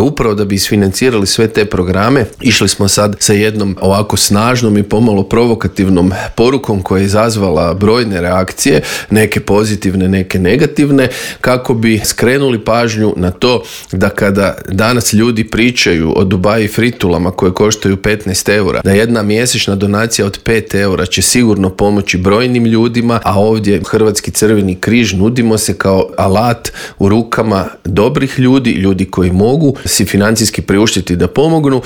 Upravo da bi isfinancirali sve te programe, išli smo sad sa jednom ovako snažnom i pomalo provokativnom porukom koja je izazvala brojne reakcije, neke pozitivne, neke negativne, kako bi skrenuli pažnju na to da kada danas ljudi pričaju o Dubai fritulama koje koštaju 15 eura, da jedna mjesečna donacija od 5 eura će sigurno pomoći brojnim ljudima, a ovdje Hrvatski Crveni križ nudimo se kao alat u rukama dobrih ljudi, ljudi koji mogu si financijski priuštiti da pomognu